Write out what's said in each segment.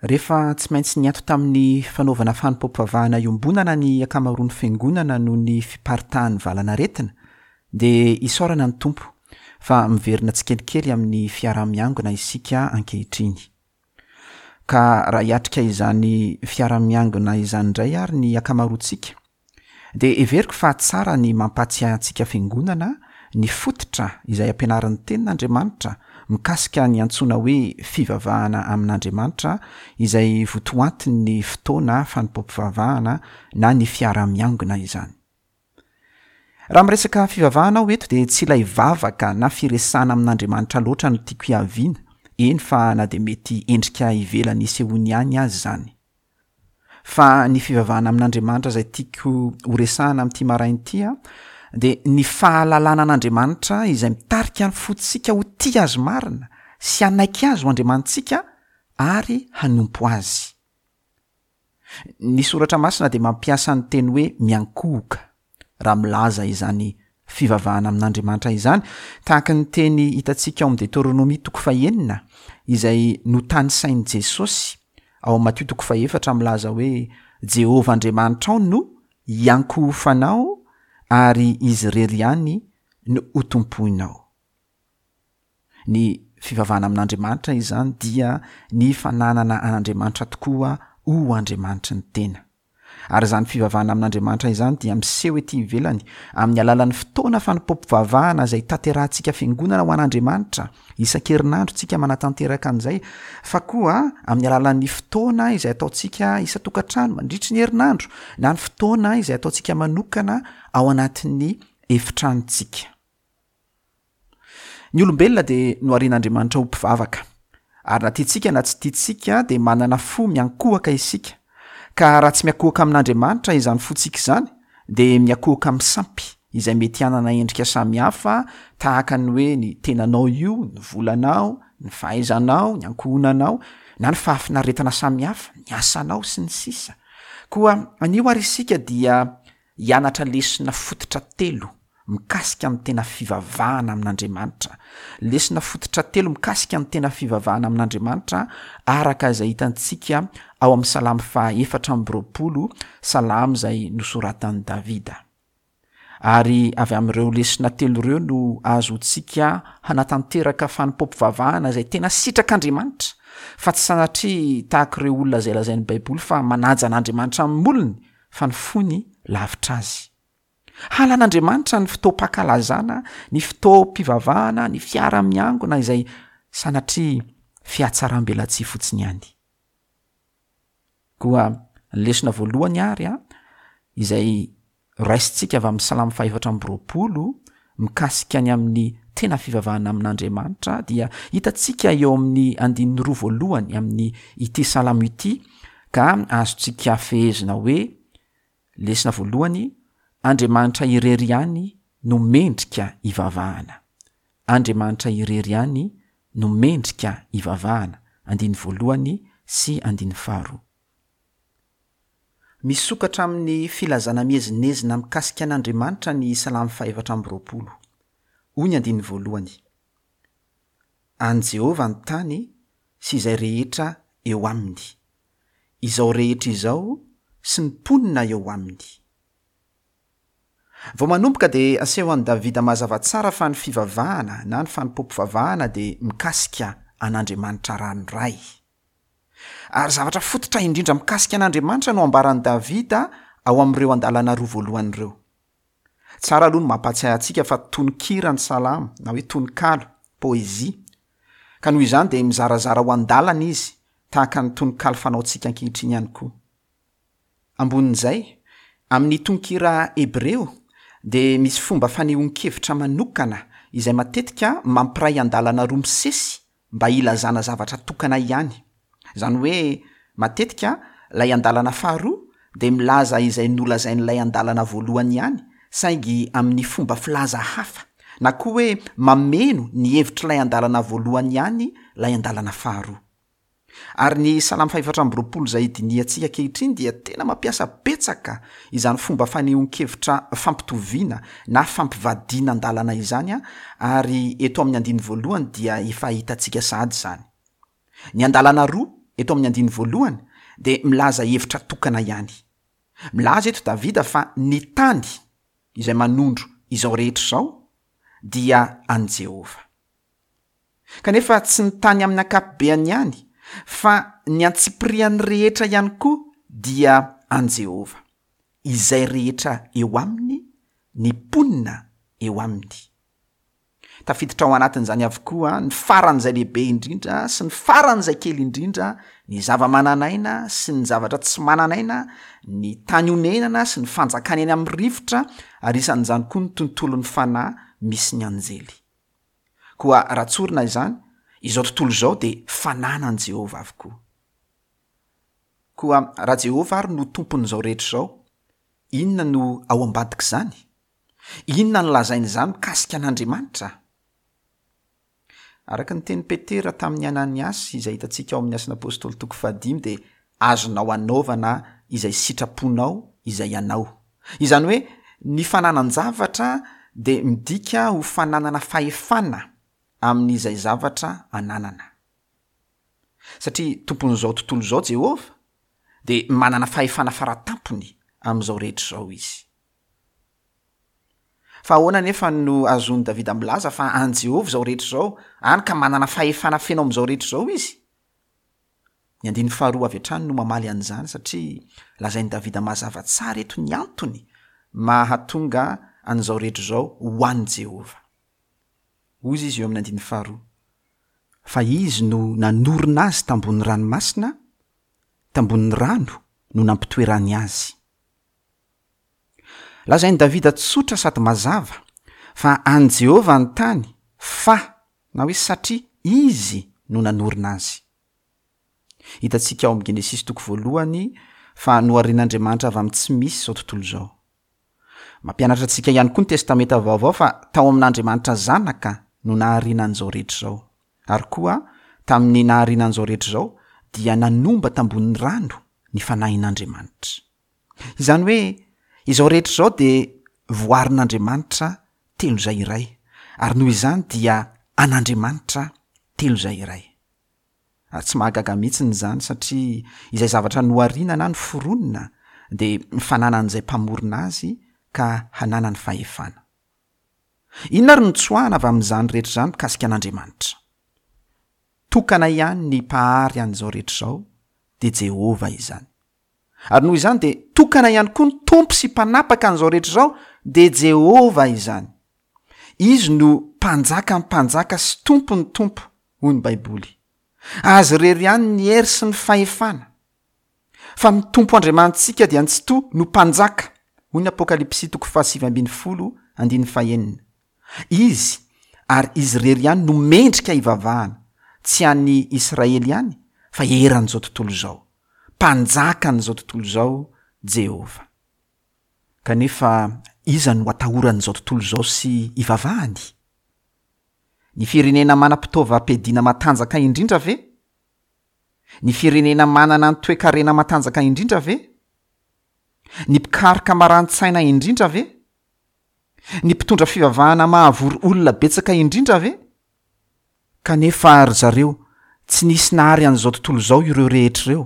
Rehefa tsy maintsy niato tamin'ny fanaovana fanompoam-pivavahana iombonana ny ankamaroan'ny fiangonana noho ny fiparitahan'ny valanaretina, dia isaorana ny Tompo fa miverina tsikelikely amin'ny fiaraha-miangona isika ankehitriny. Ka raha hiatrika izany fiaraha-miangona izany indray ary ny ankamaroantsika, Dia heveriko fa tsara ny mampahatsiahy antsika Fiangonana ny fototra izay ampianarin'ny Tenin'Andriamanitra mikasika ny antsoina hoe fivavahana amin'Andriamanitra izay votoantin'ny fotoana fanompoam-pivavahana na ny fiaraha-miangona izany. Raha miresaka fivavahana aho eto dia tsy ilay vavaka na firesahana amin'Andriamanitra loatra no tiako hiaviana, eny fa na dia mety endrika ivelany isehoany ihany aza izany. Fa ny fivavahana amin'Andriamanitra izay tiako ho resahana amin'ity maraina ity dia ny fahalalana an'Andriamanitra izay mitarika ny fontsika ho tia Azy marina sy hanaiky Azy ho Andriamanitsika ary hanompo Azy. Ny Soratra Masina dia mampiasa ny teny hoe miankohoka raha milaza izany fivavahana amin'Andriamanitra izany, tahaka ny teny hitantsika ao amin'ny Deteronomia toko fahenina, izay notanisain'i Jesosy ao amin'ny Matio toko fahefatra milaza hoe, Jehovah Andriamanitrao no hiankohofanao ary Izy irery ihany no hotompoinao. Ny fivavahana amin'Andriamanitra izany dia ny fananana an'Andriamanitra tokoa ho Andriamanitry ny tena. Ary izany fivavahana amin'Andriamanitra izany dia miseho ety ivelany amin'ny alalan'ny fotoana fanompoam-pivavahana izay tanterahantsika fiangonana ho an'Andriamanitra, isan-kerinandro tsika manatanteraka an'izay, fa koa amin'ny alalan'ny fotoana izay ataontsika isan-tokantrano mandritry ny herinandro, na ny fotoana izay ataontsika manokana ao anatin'ny efitranontsika. Ny olombelona dia noharian'Andriamanitra ho mpivavaka. Ary na tiantsika na tsy tiantsika dia manana fo miankohoka isika. Ka raha tsy miankohoka amin'Andriamanitra izany fontsika izany dia miankohoka amin'ny sampy izay mety hanana endrika samihafa tahaka ny hoe ny tenanao io, ny volanao, ny fahaizanao, ny ankohonanao, na ny fahafinaretana samihafa, ny asanao, sy ny sisa Koa anio ary isika dia hianatra lesona fototra telo mikasika ny tena fivavahana amin'Andriamanitra. Lesona fototra telo mikasika ny tena fivavahana amin'Andriamanitra araka izay hitantsika ao amin'ny Salamo faha 24, salamo izay nosoratan'i Davida. Ary avy amin'ireo lesona telo ireo no ahazoantsika hanatanteraka fanompoam-pivavahana izay tena sitrak'Andriamanitra, fa tsy sanatria tahaka ireo olona izay lazain'ny Baiboly fa manaja an'Andriamanitra amin'ny molony, fa ny fony lavitra azy. Halan'Andriamanitra ny fotoam-pankalazana, ny fotoam-pivavahana, ny fiara-miangona izay sanatria fihatsaram-belatsihy fotsiny ihany. Koa ny lesona voalohany ary a, izay raisintsika avy amin'ny Salamo fahefatra amby 20 mikasika ny amin'ny tena fivavahana amin'Andriamanitra dia hitantsika eo amin'ny andininy roa voalohany amin'ny ity salamo ity ka azontsika fehezina hoe lesona voalohany Andriamanitra irery ihany no mendrika hivavahana. Andriamanitra irery ihany no mendrika hivavahana, andininy voalohany sy andininy faharoa. Misokatra amin'ny filazana miezinezina mikasika an'Andriamanitra ny Salamo fahefatra amby 20. Hoy ny andininy voalohany, An'i Jehovah ny tany sy izay rehetra eo aminy, izao rehetra izao sy ny mponina eo aminy. Vao manomboka dia aseho an'i Davida mazava tsara fa ny fivavahana na ny fanompoam-pivavahana dia mikasika an'Andriamanitra ranoray. Ary zavatra fototra indrindra mikasika an'Andriamanitra no ambaran'i Davida ao amin'ireo andalana roa voalohany ireo. Tsara aloha ny mampahatsiahy antsika fa tononkira ny salamo, na hoe tononkalo, poésie. Ka noho izany dia mizarazara ho andalana izy, tahaka ny tononkalo fanaontsika ankehitriny ihany koa. Ambonin'izay, amin'ny tononkira hebreo dia misy fomba fanehoan-kevitra manokana izay matetika mampiray andalana roa misesy mba hilazana zavatra tokana ihany. Izany hoe matetika ilay andalana faharoa dia milaza izay nolazain'ilay andalana voalohany ihany saingy amin'ny fomba filaza hafa, na koa hoe mameno ny hevitr'ilay andalana voalohany ihany ilay andalana faharoa. Ary ny Salamo fahefatra amby 20 izay dinihantsika ankehitriny dia tena mampiasa betsaka izany fomba fanehoan-kevitra fampitoviana na fampivadiana an-dalana izany ary eto amin'ny andininy voalohany dia efa hitantsika sahady izany. Ny andalana roa. eto amin'ny andininy voalohany dia milaza hevitra tokana ihany. Milaza eto Davida fa ny tany, izay manondro izao rehetra izao, dia an'i Jehovah. Kanefa tsy ny tany amin'ny ankapobeany ihany, fa ny antsipiriany rehetra ihany koa dia an'i Jehovah. Izay rehetra eo aminy, ny mponina eo aminy. Tafiditra ao anatin'izany avokoa ny faran'izay lehibe indrindra sy ny faran'izay kely indrindra, ny zava-manan'aina sy ny zavatra tsy manan'aina, ny tany onenana sy ny fanjakana eny amin'ny rivotra, ary isan'izany koa ny tontolon'ny fanahy misy ny anjely. Koa raha tsorina izany, izao tontolo izao dia fananan'i Jehovah avokoa. Koa raha Jehovah ary no Tompon'izao rehetra izao, inona no ao ambadik'izany? Inona no lazain'izany mikasika an'Andriamanitra? Araka ny tenin'i Petera tamin'i Ananiasy, izay hitantsika ao amin'ny Asan'ny Apostoly toko fahadimy, dia azonao anaovana izay sitraponao izay anao. Izany hoe ny fananan-javatra dia midika ho fananana fahefana amin'izay zavatra ananana. Satria Tompon'izao tontolo izao Jehovah, dia manana fahefana faratampony amin'izao rehetra izao izy. Fa ahoana anefa no ahazoan'i Davida milaza fa an'i Jehovah izao rehetra izao, hany ka manana fahefana feno amin'izao rehetra izao izy? Ny andininy faharoa avy hatrany no mamaly an'izany, satria lazain'i Davida mazava tsara eto ny antony mahatonga an'izao rehetra izao ho an'i Jehovah. Hoy izy eo amin'ny andininy faharoa, Fa izy no nanorina azy tambony ranomasina, tambonin'ny rano no nampitoerany azy. Lazain'i Davida tsotra sady mazava fa an'i Jehovah ny tany fa, na hoe satria, izy no nanorina azy. Hitantsika ao amin'ny Genesisy toko voalohany fa noharin'Andriamanitra avy amin'ny tsy misy izao tontolo izao. Mampianatra antsika ihany koa ny Testamenta Vaovao fa tao amin'Andriamanitra Zanaka no nahariana an'izao rehetra izao. Ary koa, tamin'ny nahariana an'izao rehetra izao, dia nanomba tambonin'ny rano ny Fanahin'Andriamanitra. Izany hoe izao rehetra izao dia voarin'Andriamanitra telo izay iray, ary noho izany dia an'Andriamanitra telo izay iray. Ary tsy mahagaga mihitsiny izany satria izay zavatra nohariana na noforonina dia fananan'izay mpamorona azy ka hananany fahefana. Inona ary no tsoahana avy amin'izany rehetra izany mikasika an'Andriamanitra? Tokana ihany ny Mpahary an'izao rehetra izao, dia Jehovah izany. Ary noho izany dia tokana ihany koa ny Tompo sy Mpanapaka an'izao rehetra izao, dia Jehovah izany. Izy no Mpanjakan'ny mpanjaka sy Tompon'ny tompo, hoy ny Baiboly. Azy irery ihany ny hery sy ny fahefana. Fa ny Tompo Andriamanitsika dia ny Tsitoha no Mpanjaka, hoy ny Apokalypsy toko fahasivy ambinifolo andininy fahenina. Izy, ary Izy irery ihany no mendrika hivavahana, tsy an'i Israely ihany, fa eran'izao tontolo izao. Mpanjakan'izao tontolo izao Jehovah. Kanefa iza no atahoran'izao tontolo izao sy ivavahany? Ny firenena manam-pitaovam-piadiana matanjaka indrindra ve? Ny firenena manana ny toe-karena matanjaka indrindra ve? Ny mpikaroka marani-tsaina indrindra ve? Ny mpitondra fivavahana mahavory olona betsaka indrindra ve? Kanefa ry zareo, tsy nisy nahary an'izao tontolo izao ireo rehetra ireo,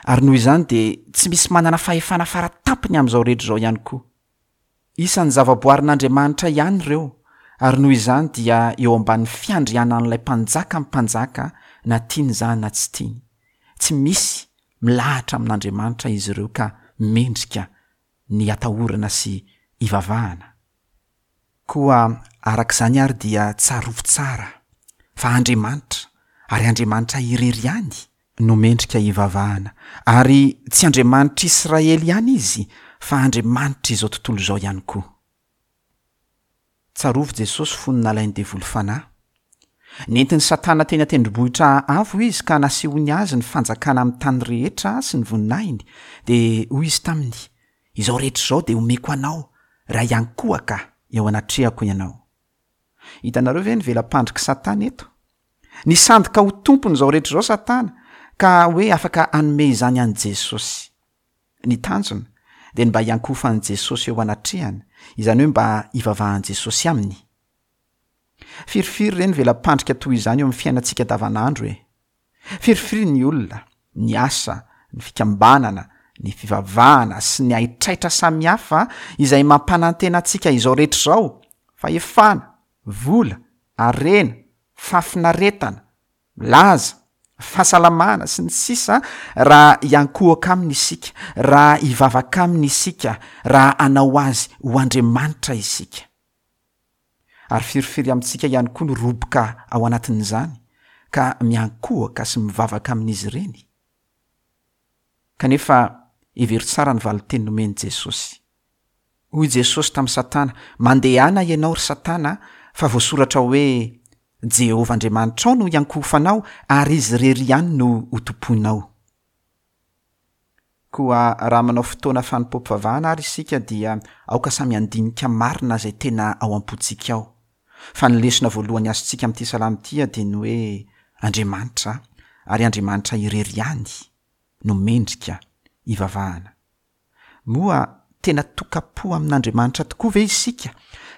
ary noho izany dia tsy misy manana fahefana fara tampony amin'izao rehetra izao ihany koa. Isan'ny zavaboarin'Andriamanitra ihany ireo, ary noho izany dia eo ambanin'ny fiandrianan'ilay Mpanjakan'ny mpanjaka na tiany izany na tsy tiany. Tsy misy milahatra amin'Andriamanitra izy ireo ka mendrika ny atahorana sy ivavahana. Koa araka izany àry dia tsarovy tsara fa Andriamanitra, ary Andriamanitra irery ihany, no mendrika hivavahana, ary tsy Andriamanitr'Israely ihany Izy fa Andriamanitr'izao tontolo izao ihany koa. Tsarovy Jesosy fony nalain'ny devoly fanahy. Nentin'i Satana teny an-tendrombohitra avo Izy ka nasehony Azy ny fanjakana amin'ny tany rehetra sy ny voninahiny, dia hoy Izy taminy, Izao rehetra izao dia homeko anao raha hiankohoka eo anatrehako ianao. Hitanareo ve ny vela-pandrik'i Satana eto? Nisandoka ho tompon'izao rehetra izao Satana ka hoe afaka hanome izany an'i Jesosy. Ny tanjona dia ny mba hiankohofan'i Jesosy eo anatrehany, izany hoe mba hivavahan'i Jesosy aminy. Firifiry re ny vela-pandrika toy izany eo amin'ny fiainantsika andavanandro e! Firifiry ny olona. Ny asa, ny fikambanana, ny fivavahana sy ny haitraitra samihafa izay mampanantena antsika izao rehetra izao, fahefana, vola, harena, fahafinaretana, laza, fahasalamana, sy ny sisa Raha hiankohoka Aminy isika, raha hivavaka Aminy isika, raha hanao Azy ho Andriamanitra isika. Ary firifiry amintsika ihany koa no roboka ao anatin'izany ka miankohoka sy mivavaka amin'izy ireny? Kanefa hevero tsara ny valin-teny nomen'i Jesosy. Hoy Jesosy tamin'i Satana, Mandehana ianao, ry Satana, fa voasoratra hoe, 'Jehovah Andriamanitrao no hiankohofanao, ary Izy irery ihany no hotompoinao. Koa raha manao fotoana fanompoam-pivavahana ary isika dia aoka samy handinika marina izay tena ao am-pontsika ao. Fa ny lesona voalohany azontsika amin'ity salamo ity dia ny hoe Andriamanitra, ary Andriamanitra irery ihany no mendrika hivavahana. Moa tena tokam-po amin'Andriamanitra tokoa ve isika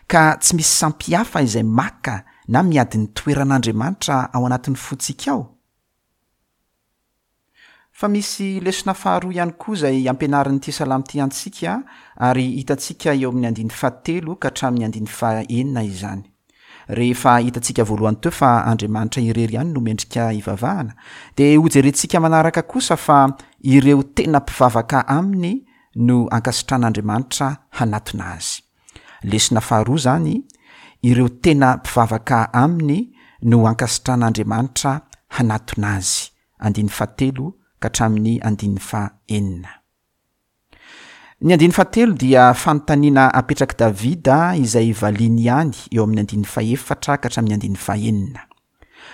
ka tsy misy sampy hafa izay maka na miady ny toeran'Andriamanitra ao anatin'ny fontsika ao? Fa misy lesona faharoa ihany koa izay ampianarin'ity salamo ity antsika ary hitantsika eo amin'ny andininy fahatelo ka hatramin'ny andininy fahenina izany. Rehefa hitantsika voalohany teo fa Andriamanitra irery ihany no mendrika hivavahana, dia hojerentsika manaraka kosa fa ireo tena mpivavaka aminy no ankasitran'Andriamanitra hanatona azy. Lesona faharoa izany, ireo tena mpivavaka aminy no ankasitran'Andriamanitra hanatona azy. Andininy fahatelo ka hatramin'ny andininy fahenina. Ny andininy fahatelo dia fanontaniana apetrak'i Davida izay valiany ihany eo amin'ny andininy fahefatra ka hatramin'ny andininy fahenina.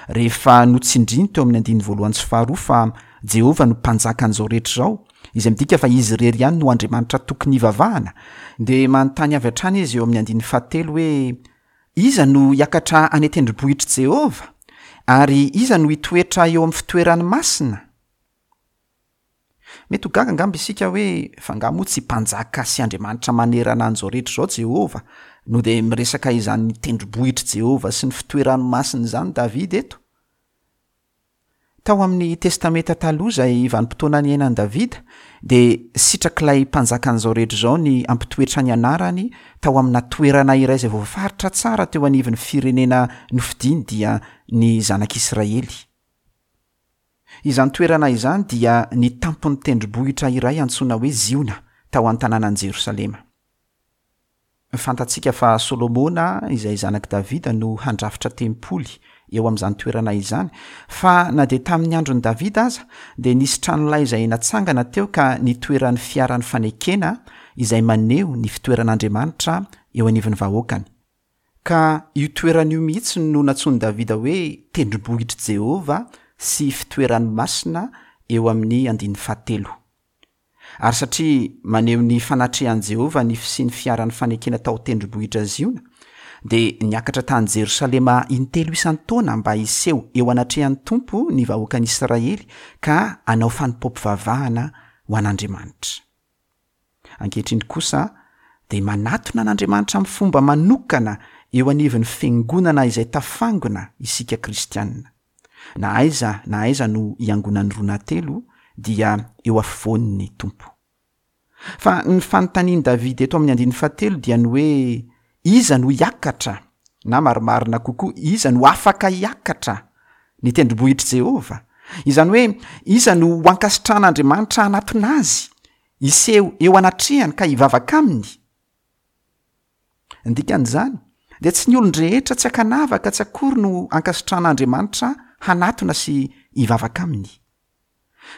Rehefa notsindriny teo amin'ny andininy voalohany sy faharoa fa Jehovah no Mpanjakan'izao rehetra izao, izay midika fa izy irery ihany no Andriamanitra tokony hivavahana, dia manontany avy hatrany izy eo amin'ny andininy fahatelo hoe, Iza no hiakatra any an-tendrombohitr'i Jehovah? Ary iza no hitoetra eo amin'ny fitoerany masina? Mety ho gaga angamba isika hoe, 'Fa angaha moa tsy Mpanjaka sy Andriamanitra manerana an'izao rehetra izao Jehovah, no dia miresaka izany tendrombohitr'i Jehovah sy ny fitoerany masina izany Davida eto? Tao amin'ny Testamenta Taloha izay vanim-potoana niainan'i Davida, dia sitrak'ilay Mpanjakan'izao rehetra izao ny hampitoetra ny anarany tao amina toerana iray izay voafaritra tsara teo anivon'ny firenena nofidiny, dia ny Zanak'Israely. Izany toerana izany dia ny tampon'ny tendrombohitra iray antsoina hoe Ziona, tao an-tanànan'i Jerosalema. Fantatsika fa Solomona, izay zanak'i Davida, no handrafitra tempoly eo amin'izany toerana izany, fa na dia tamin'ny andron'i Davida aza, dia nisy tranolay izay natsangana teo ka nitoeran'ny fiaran'ny fanekena, izay maneho ny fitoeran'Andriamanitra eo anivon'ny vahoakany. Ka io toerana io mihitsy no nantsoin'i Davida hoe tendrombohitr'i Jehovah sy fitoerany masina eo amin'ny andininy fahatelo. Ary satria maneho ny fanatrehan'i Jehovah ny fisian'ny fiaran'ny fanekena tao an-tendrombohitra Ziona, dia niakatra tany Jerosalema intelo isan-taona mba hiseho eo anatrehan'ny Tompo ny vahoakan'Israely ka hanao fanompoam-pivavahana ho an'Andriamanitra. Ankehitriny kosa dia manatona an'Andriamanitra amin'ny fomba manokana eo anivon'ny fiangonana izay tafangona isika kristiana. Na aiza na aiza no iangonan'ny roa na telo dia eo afovoany ny Tompo. Fa ny fanontanian'i Davida eto amin'ny andininy fahatelo dia ny hoe iza no hiakatra na marimarina kokoa iza no afaka hiakatra ny tendrombohitr'i Jehovah? Izany hoe iza no ho ankasitrahan'Andriamanitra hanatona azy Hiseho eo anatrehany ka hivavaka aminy? Ny dikan'izany, dia tsy ny olon-drehetra tsy ankanavaka tsy akory no ankasitrahan'Andriamanitra hanatona sy hivavaka aminy.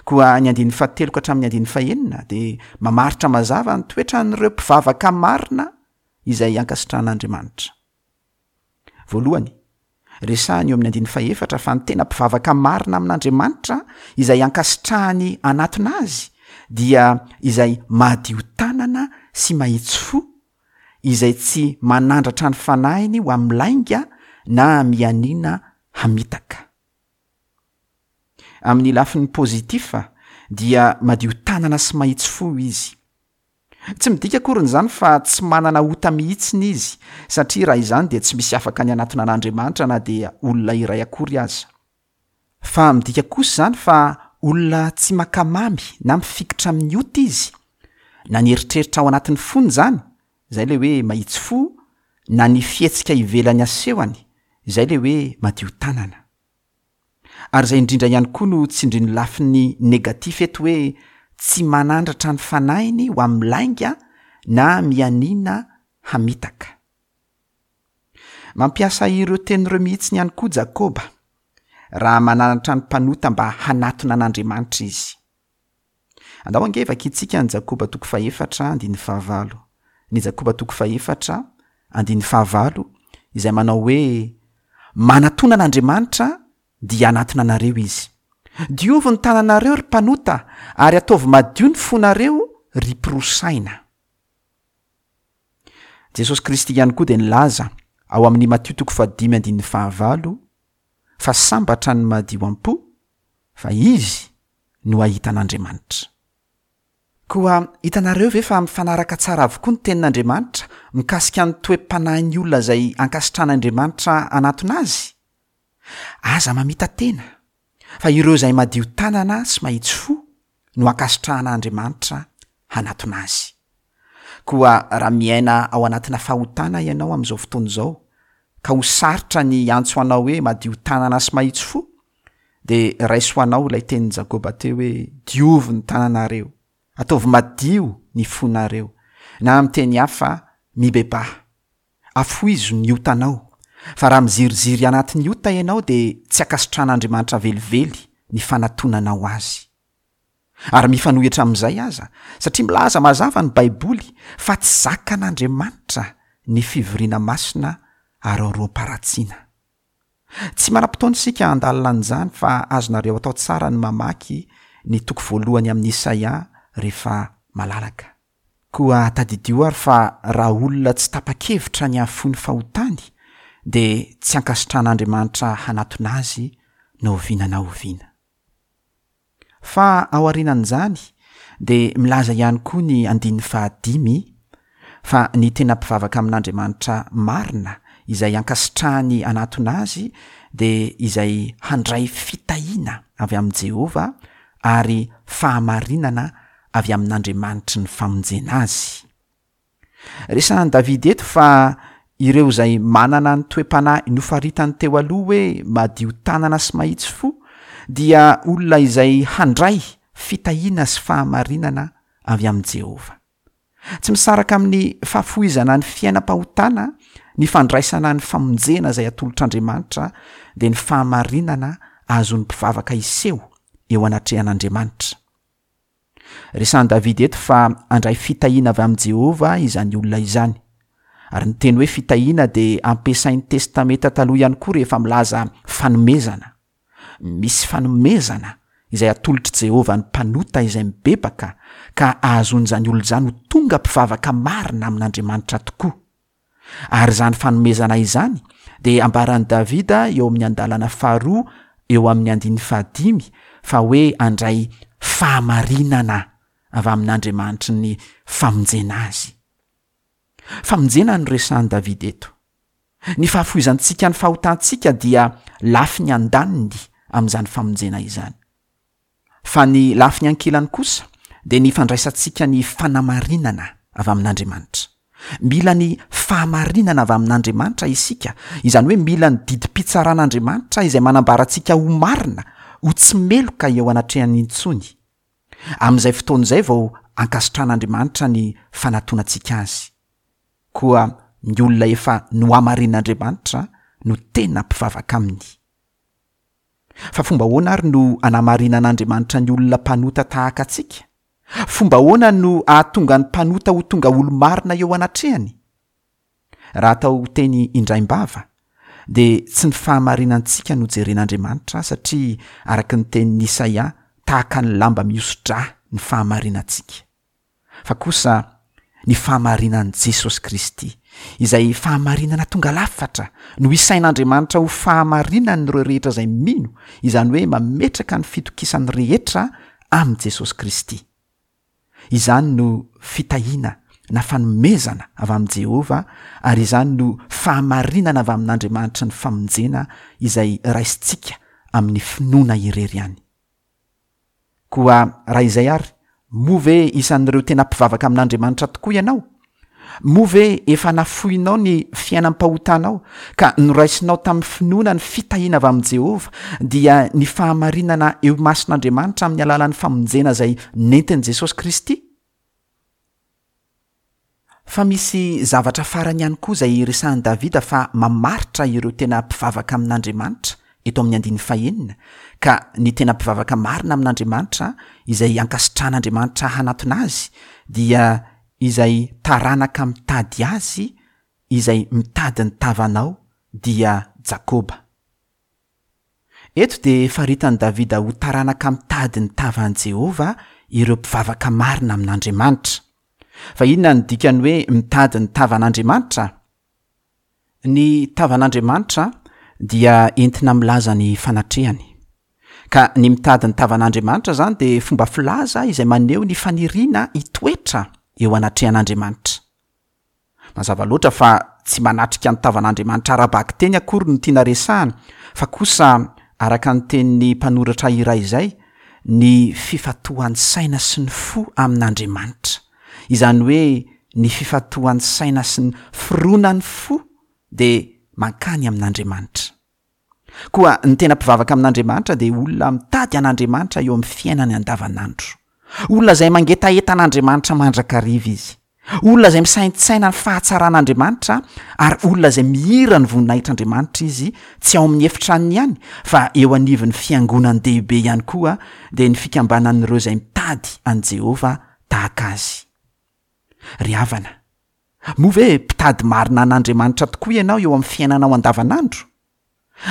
Koa ny andininy fahatelo ka hatramin'ny andininy fahenina dia mamaritra mazava ny toetran'ireo mpivavaka marina izay ankasitrahan'Andriamanitra. Voalohany, resahiny eo amin'ny andininy fahefatra fa ny tena mpivavaka marina amin'Andriamanitra izay ankasitrahany hanatona azy dia izay madio tanana sy mahitsy fo, izay tsy manandratra ny fanahiny ho amin'ny lainga na mianiana hamitaka. Amin'ny lafiny positif dia madio tanana sy mahitsy fo izy. Tsy midika akoriny izany fa tsy manana ota mihitsiny izy, satria raha izany dia tsy misy afaka ny hanatona an'Andriamanitra na dia olona iray akory aza. Fa midika kosa izany fa Olona tsy mankamamy na mifikitra amin'ny ota izy, na ny eritreritra ao anatin'ny fony izany, izay ilay hoe mahitsy fo, na ny fihetsika ivelany asehony, izay ilay hoe madio tanana. Ary izay indrindra ihany koa no tsindrin'ny lafiny negatif eto hoe tsy manandratra ny fanahiny ho amin'ny lainga na mianiana hamitaka. Mampiasa ireo teny ireo mihitsiny ihany koa Jakoba raha mananatra ny mpanota mba hanatona an'Andriamanitra izy. Andao ange vakintsika ny Jakoba toko fahefatra andininy fahavalo. Ny Jakoba toko fahefatra andininy fahavalo izay manao hoe Manatona an'Andriamanitra dia hanatona anareo Izy. Diovy ny tananareo ry mpanota ary ataovy madio ny fonareo ry mpiroa saina. Jesosy Kristy ihany koa dia nilaza ao amin'ny Matio toko fahadimy andininy fahavalo fa sambatra ny madio am-po fa izy no hahita an'Andriamanitra. Koa hitanareo ve fa mifanaraka tsara avokoa ny tenin'Andriamanitra mikasika ny toe-panahin'ny olona izay ankasitran'Andriamanitra hanatona azy? Aza mamita-tena, fa ireo izay madio tanana sy mahitsy fo no ankasitrahan'Andriamanitra hanatona azy. Koa raha miaina ao anatina fahotana ianao amin'izao fotoana izao, ka ho sarotra ny hiantso anao hoe madio tanana sy mahitsy fo, dia raiso ho anao ilay tenin'i Jakoba teo hoe diovy ny tananareo, ataovy madio ny fonareo, na amin'ny teny hafa, mibebaha. Afoizo ny otanao, fa raha miziriziry anatin'ny ota ianao dia tsy ankasitrahan'Andriamanitra velively ny fanatonanao Azy. Ary mifanohitra amin'izay aza, satria milaza mazava ny Baiboly fa tsy zakan'Andriamanitra ny fivoriana masina araoroam-paharatsiana. Tsy manam-potoana isika handalina an'izany fa azonareo atao tsara ny mamaky ny toko voalohany amin'ny Isaia rehefa malalaka. Koa tadidio ary fa raha olona tsy tapa-kevitra ny hahafoy ny fahotany dia tsy ankasitrahan'Andriamanitra hanatona azy na oviana na oviana. Fa aorianan'izany dia milaza ihany koa ny andininy fahadimy fa ny tena mpivavaka amin'Andriamanitra marina izay ankasitrahany hanatona azy dia izay handray fitahiana avy amin'i Jehovah ary fahamarinana avy amin'Andriamanitry ny famonjena azy. Resahan'i Davida eto fa ireo izay manana ny toe-panahy nofaritany teo aloha hoe madio tanana sy mahitsy fo dia olona izay handray fitahiana sy fahamarinana avy amin'i Jehovah. Tsy misaraka amin'ny fahafohizana ny fiainam-pahotana ny fandraisana ny famonjena izay atolotr'Andriamanitra dia ny fahamarinana azon'ny mpivavaka hiseho eo anatrehan'Andriamanitra. Resahan'i Davida eto fa handray fitahiana avy amin'i Jehovah izany olona izany. Ary ny teny hoe fitahiana dia ampiasain'ny Testamenta Taloha ihany koa rehefa milaza fanomezana. Misy fanomezana izay atolotr'i Jehovah ny mpanota izay mibebaka ka ahazoan'izany olona izany ho tonga mpivavaka marina amin'Andriamanitra tokoa. Ary izany fanomezana izany dia ambaran'i Davida eo amin'ny andalana faharoa eo amin'ny andininy fahadimy fa hoe handray fahamarinana avy amin'Andriamanitry ny famonjena azy. Famonjena no resahan'i Davida eto. Ny fahafoizantsika ny fahotantsika dia lafiny andaniny amin'izany famonjena izany. Fa ny lafiny ankilany kosa dia ny fandraisantsika ny fanamarinana avy amin'Andriamanitra. Mila ny fahamarinana avy amin'Andriamanitra isika, izany hoe mila ny didim-pitsaran'Andriamanitra izay manambara antsika ho marina, ho tsy meloka eo anatrehany intsony. Amin'izay fotoana izay vao ankasitran'Andriamanitra ny fanatonantsika Azy. Koa ny olona efa nohamarinin'Andriamanitra no tena mpivavaka Aminy. Fa fomba ahoana ary no anamarinan'Andriamanitra ny olona mpanota tahaka antsika? Fomba ahoana no ahatonga ny mpanota ho tonga olo-marina eo anatrehany? Raha atao teny indraim-bava, dia tsy ny fahamarinantsika no jeren'Andriamanitra satria araka ny tenin'i Isaia tahaka ny lamba mihoso-drà ny fahamarinantsika. fa kosa ny fahamarinan'i Jesosy Kristy, izay fahamarinana tonga lafatra, no isain'Andriamanitra ho fahamarinan'ireo rehetra izay mino, izany hoe mametraka ny fitokisany rehetra amin'i Jesosy Kristy. Izany no fitahiana na fanomezana avy amin'i Jehovah, ary izany no fahamarinana avy amin'Andriamanitry ny famonjena izay raisintsika amin'ny finoana irery ihany. Koa raha izay ary, moa ve isan'ireo tena mpivavaka amin'Andriamanitra tokoa ianao? Moa ve efa nafoinao ny fiainam-pahotanao ka noraisinao tamin'ny finoana ny fitahiana avy amin'i Jehovah, dia ny fahamarinana eo imason'Andriamanitra amin'ny alalan'ny famonjena izay nentin'i Jesosy Kristy? Fa misy zavatra farany ihany koa izay resahin'i Davida fa mamaritra ireo tena mpivavaka amin'Andriamanitra eto amin'ny andininy fahenina, ka ny tena mpivavaka marina amin'Andriamanitra izay ankasitrahan'Andriamanitra hanatona azy dia izay taranaka mitady azy izay mitady ny tavanao dia Jakoba. Eto dia faritan'i Davida ho taranaka mitady ny tavan'i Jehovah ireo mpivavaka marina amin'Andriamanitra. Fa inona no dikan'ny hoe mitady ny tavan'Andriamanitra? Ny tavan'Andriamanitra dia entina milaza ny fanatrehany. Ka ny mitady ny tavan'Andriamanitra izany dia fomba filaza izay maneho ny faniriana hitoetra eo anatrehan'Andriamanitra. Mazava loatra fa tsy manatrika ny tavan'Andriamanitra ara-bakiteny akory no tiana resahana, fa kosa, araka ny tenin'ny mpanoratra iray izay, ny fifantohan'ny saina sy ny fo amin'Andriamanitra. Izany hoe ny fifantohan'ny saina sy ny fironan'ny fo dia mankany amin'Andriamanitra. Koa ny tena mpivavaka amin'Andriamanitra dia olona mitady an'Andriamanitra eo amin'ny fiainany andavanandro. Olona izay mangetaheta an'Andriamanitra mandrakariva izy. Olona izay misaintsaina ny fahatsaran'Andriamanitra ary olona izay mihira ny voninahitr'Andriamanitra izy, tsy ao amin'ny efitranony ihany fa eo anivon'ny fiangonan-dehibe ihany koa, dia ny fikambanan'ireo izay mitady an'i Jehovah tahaka azy. Ry havana, moa ve mpitady marina an'Andriamanitra tokoa ianao eo amin'ny fiainanao andavanandro?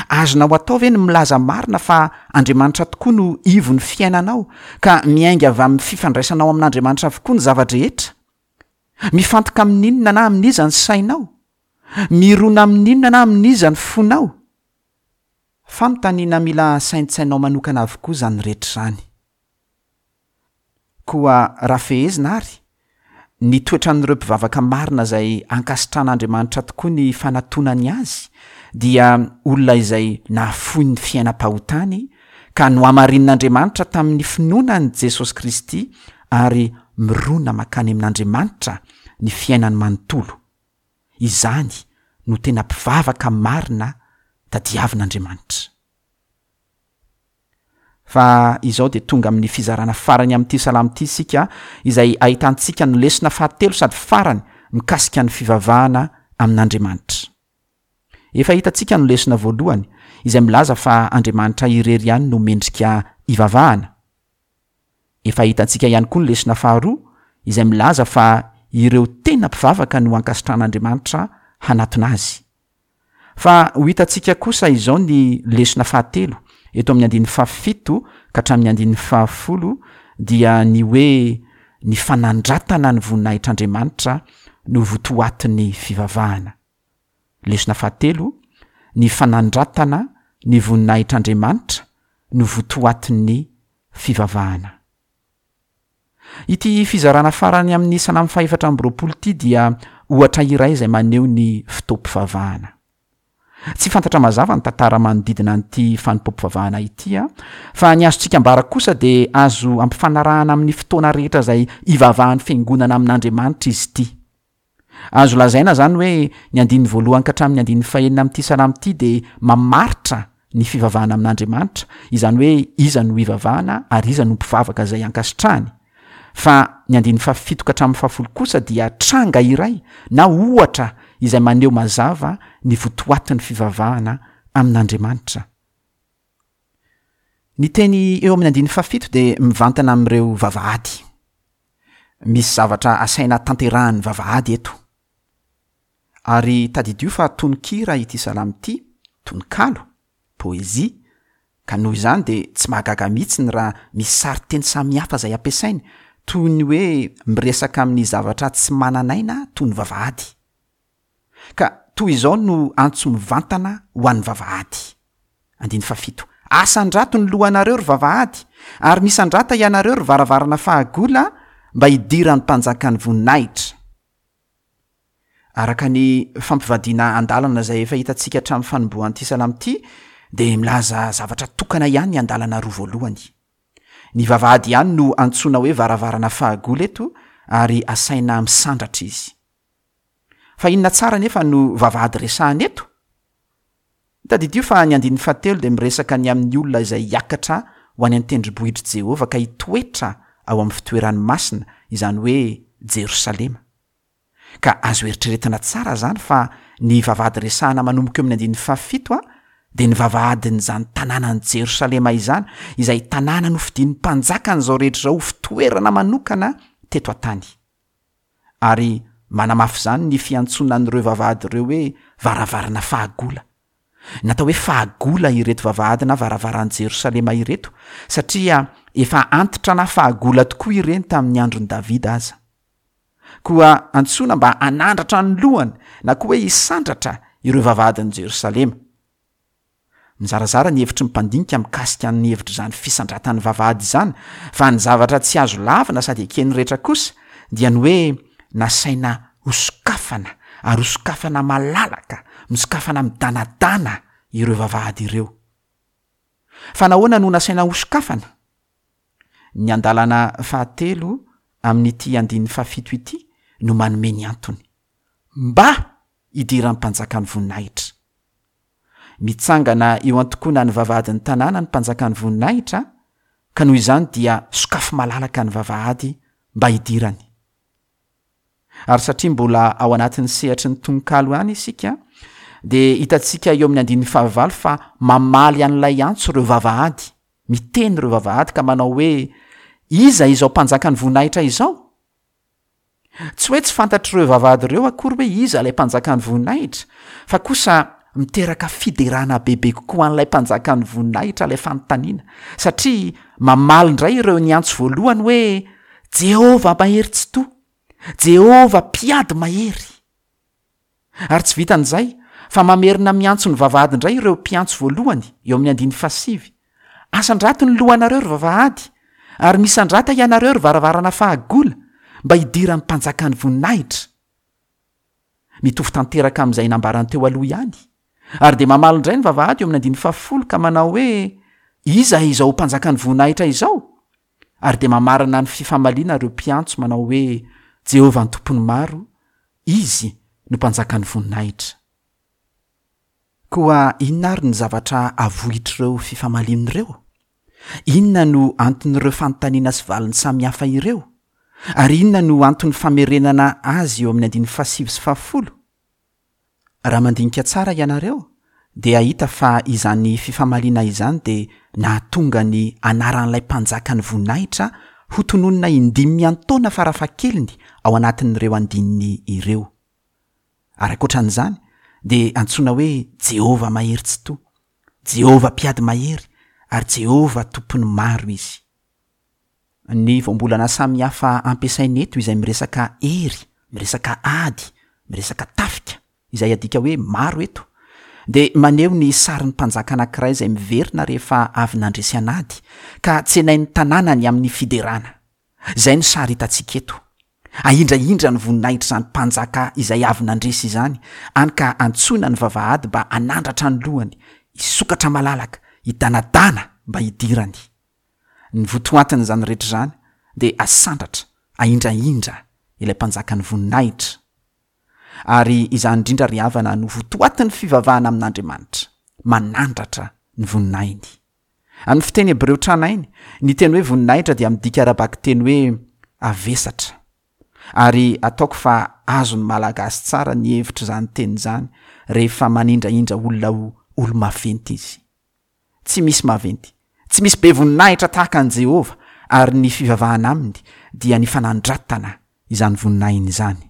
Azonao atao ve ny milaza marina fa Andriamanitra tokoa no ivon'ny fiainanao, ka miainga avy amin'ny fifandraisanao amin'Andriamanitra avokoa ny zava-drehetra? Mifantoka amin'inona na amin'iza ny sainao? Mirona amin'inona na amin'iza ny fonao? Fanontaniana mila saintsainao manokana avokoa izany rehetra izany. Koa raha fehezina àry, ny toetran'ireo mpivavaka marina izay ankasitrahan'Andriamanitra tokoa ny fanatonany azy dia olona izay nahafoy ny fiainam-pahotany ka nohamarinin'Andriamanitra tamin'ny finoana an'i Jesosy Kristy ary mirona mankany amin'Andriamanitra ny fiainany manontolo. Izany no tena mpivavaka marina tadiavin'Andriamanitra. Fa izao dia tonga amin'ny fizarana farany amin'ity salamo ity isika, izay ahitantsika ny lesona fahatelo sady farany mikasika ny fivavahana amin'Andriamanitra. Efa hitantsika ny lesona voalohany, izay milaza fa Andriamanitra irery ihany no mendrika hivavahana. Efa hitantsika ihany koa ny lesona faharoa, izay milaza fa ireo tena mpivavaka no ankasitrahan'Andriamanitra hanatona azy. Fa ho hitantsika kosa izao ny lesona fahatelo eto amin'ny andininy fahafito ka hatramin'ny andininy fahafolo dia ny hoe ny fanandratana ny voninahitr'Andriamanitra no votoatin'ny fivavahana. Lesona fahatelo, ny fanandratana ny voninahitr'Andriamanitra no votoatin'ny fivavahana. Ity fizarana farany amin'ny Salamo fahefatra amby 20 ity dia ohatra iray izay maneho ny fotoam-pivavahana. Tsy fantatra mazava ny tantara manodidina an'ity fanompoam-pivavahana ity, fa ny azontsika ambara kosa dia azo ampifanarahana amin'ny fotoana rehetra izay ivavahan'ny Fiangonana amin'Andriamanitra izy ity. Azo lazaina izany hoe ny andininy voalohany ka hatramin'ny andininy fahenina amin'ity salamo ity dia mamaritra ny fivavahana amin'Andriamanitra, izany hoe iza no ivavahana ary iza no mpivavaka izay ankasitrahany. Fa ny andininy fahafito ka hatramin'ny fahafolo kosa dia tranga iray na ohatra izay maneho mazava ny votoatin'ny fivavahana amin'Andriamanitra. Ny teny eo amin'ny andininy fahafito dia mivantana amin'ireo vavahady. Misy zavatra asaina tanterahan'ny vavahady eto. Ary tadidio fa tononkira ity salamo ity, tononkalo, poésie, ka noho izany dia tsy mahagaga mihitsy ny raha misy sarin-teny samihafa izay ampiasainy, toy ny hoe miresaka amin'ny zavatra tsy manan'aina toy ny vavahady. Ka toy izao no antso mivantana ho an'ny vavahady. Andininy fahafito, Asandrato ny lohanareo, ry vavahady, ary misandrata ianareo, ry varavarana fahagola, mba hidiran'ny Mpanjakan'ny voninahitra. Araka ny fampivadiana andalana izay efa hitantsika hatramin'ny fanombohan'ity salamo ity, dia milaza zavatra tokana ihany ny andalana roa voalohany. Ny vavahady ihany no antsoina hoe varavarana fahagola eto ary asaina misandratra izy. Fa inona tsara anefa no vavahady resahana eto? Tadidio fa ny andininy fahatelo dia miresaka ny amin'ny olona izay hiakatra ho any an-tendrombohitr'i Jehovah ka hitoetra ao amin'ny fitoerany masina, izany hoe Jerosalema. Ka azo eritreretina tsara izany fa ny vavahady resahana manomboka eo amin'ny andininy fahafito dia ny vavahadin'izany tanànan'i Jerosalema izany, izay tanàna nofidin'ny Mpanjakan'izao rehetra izao ho fitoerana manokana teto an-tany. Ary manamafy izany ny fiantsoana an'ireo vavahady ireo hoe varavarana fahagola. Natao hoe fahagola ireto vavahady na varavaran'i Jerosalema ireto, satria efa antitra na fahagola tokoa ireny tamin'ny andron'i Davida aza. Koa antsoina mba hanandratra ny lohany na koa hoe hisandratra ireo vavahadin'i Jerosalema. Mizarazara ny hevitry ny mpandinika mikasika ny hevitr'izany fisandratan'ny vavahady izany, fa ny zavatra tsy azo lavina sady eken'ny rehetra kosa dia ny hoe nasaina hosokafana ary hosokafana malalaka, misokafana midanadana ireo vavahady ireo. Fa nahoana no nasaina hosokafana? Ny andalana fahatelo amin'ity andininy fahafito ity no manome ny antony. Mba hidiran'ny mpanjakan'ny voninahitra. Mitsangana eo an-tokonan'ny vavahadin'ny tanàna ny mpanjakan'ny voninahitra, ka noho izany dia sokafy malalaka ny vavahady mba hidirany. Ary satria mbola ao anatin'ny sehatry ny tononkalo ihany isika, dia hitantsika eo amin'ny andininy fahavalo fa mamaly an'ilay antso ireo vavahady, miteny ireo vavahady ka manao hoe, Iza izao mpanjakan'ny voninahitra izao? Tsy hoe tsy fantatr'ireo vavahady ireo akory hoe iza ilay mpanjakan'ny voninahitra, fa kosa miteraka fiderana bebe kokoa an'ilay mpanjakan'ny voninahitra ilay fanontaniana, satria mamaly indray ireo niantso voalohany hoe, Jehovah Mahery Tsitoha! Jehovah Mpiady Mahery! Ary tsy vitan'izay, fa mamerina miantso ny vavahady indray ireo mpiantso voalohany, eo amin'ny andininy fahasivy, Asandrato ny lohanareo, ry vavahady, ary misandrata ianareo, ry varavarana fahagola, mba hidiran'ny mpanjakan'ny voninahitra. Mitovy tanteraka amin'izay nambarany teo aloha ihany. Ary dia mamaly indray ny vavahady eo amin'ny andininy fahafolo ka manao hoe, Iza izao mpanjakan'ny voninahitra izao? Ary dia mamarana ny fifamaliana ireo mpiantso manao hoe, Jehovah Tompon'ny maro, Izy no Mpanjakan'ny voninahitra. Koa inona àry ny zavatra avohitr'ireo fifamaliana ireo? Inona no anton'ireo fanontaniana sy valiny samihafa ireo? Ary inona no anton'ny famerenana azy eo amin'ny andininy fahasivy sy fahafolo? Raha mandinika tsara ianareo dia hahita fa izany fifamaliana izany dia nahatonga ny anaran'ilay Mpanjakan'ny voninahitra hotononina indimy miantaona farafahakeliny ao anatin'ireo andininy ireo. Ary ankoatra an'izany dia antsoina hoe Jehovah Mahery Tsitoha, Jehovah Mpiady Mahery ary Jehovah Tompon'ny maro izy. Ny voambolana samihafa ampiasaina eto izay miresaka hery, miresaka ady, miresaka tafika, izay adika hoe maro eto, dia maneho ny sarin'ny mpanjaka anankiray izay miverina rehefa avy nandresy an'ady, ka tsenain'ny tanànany amin'ny fiderana. Izay no sary hitantsika eto. Ahindrahindra ny voninahitr'izany mpanjaka izay avy nandresy izany, any ka antsoina ny vavahady mba hanandratra ny lohany, hisokatra malalaka, hidanadana mba hidirany. Ny votoatin'izany rehetra izany dia asandratra, ahindrahindra ilay Mpanjakan'ny voninahitra. Ary izany indrindra ry havana no votoatin'ny fivavahana amin'Andriamanitra, manandratra ny voninahiny. Amin'ny fiteny hebreo tranainy, ny teny hoe voninahitra dia midika ara-bakiteny hoe avesatra. Ary ataoko fa azon'ny Malagasy tsara ny hevitr'izany teny izany rehefa manindrahindra olona ho olo-maventy izy. Tsy misy maventy, tsy misy be voninahitra tahaka an'i Jehovah, ary ny fivavahana aminy dia ny fanandratana izany voninahiny izany.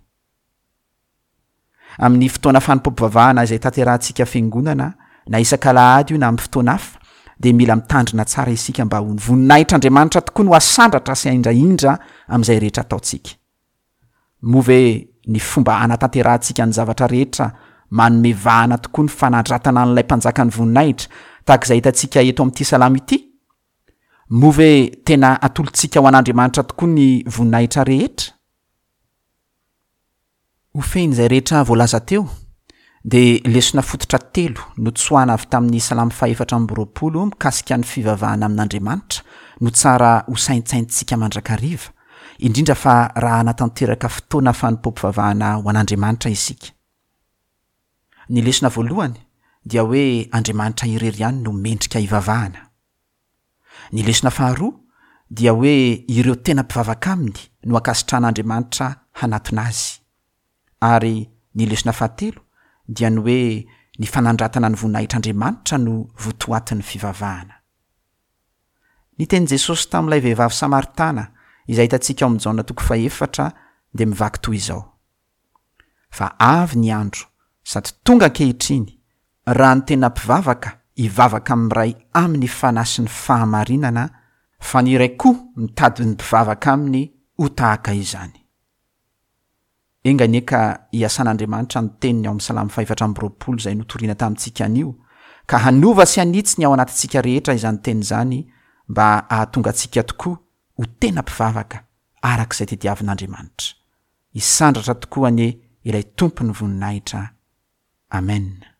Amin'ny fotoana fanompoam-pivavahana izay tanterahantsika fiangonana, na isak'alahady io na amin'ny fotoana hafa, dia mila mitandrina tsara isika mba ho ny voninahitr'Andriamanitra tokoa no hasandratra sy haindrahindra amin'izay rehetra ataontsika. Moa ve ny fomba hanatanterahantsika ny zavatra rehetra manome vahana tokoa ny fanandratana an'ilay Mpanjakan'ny voninahitra, tahaka izay hitantsika eto amin'ity salamo ity? Moa ve tena atolotsika ho an'Andriamanitra tokoa ny voninahitra rehetra? Ho fehin'izay rehetra voalaza teo, dia lesona fototra telo notsoahana avy tamin'ny Salamo fahefatra amby 20 mikasika ny fivavahana amin'Andriamanitra no tsara hosaintsaintsika mandrakariva, indrindra fa raha hanatanteraka fotoana fanompoam-pivavahana ho an'Andriamanitra isika. Ny lesona voalohany dia hoe Andriamanitra irery ihany no mendrika hivavahana. Ny lesona faharoa dia hoe ireo tena mpivavaka aminy no ankasitrahan'Andriamanitra hanatona azy. Ary ny lesona fahatelo dia ny hoe ny fanandratana ny voninahitr'Andriamanitra no votoatin'ny fivavahana. Ny tenin'i Jesosy tamin'ilay vehivavy samaritana izay hitantsika ao amin'ny Jaona toko fahefatra dia mivaky toy izao, Fa avy ny andro, sady tonga ankehitriny, raha ny tena mpivavaka hivavaka amin'ny Ray amin'ny fanahy sy ny fahamarinana, fa ny Ray koa mitady ny mpivavaka aminy ho tahaka izany. Enga anie ka hiasan'Andriamanitra ny teniny ao amin'ny Salamo fahefatra amby 20 izay notorina tamintsika anio, ka hanova sy hanitsy ny ao anatintsika rehetra izany teny izany mba hahatonga antsika tokoa ho tena mpivavaka araka izay tediavin'Andriamanitra. Hisandratra tokoa anie ilay Tompon'ny voninahitra. Amen.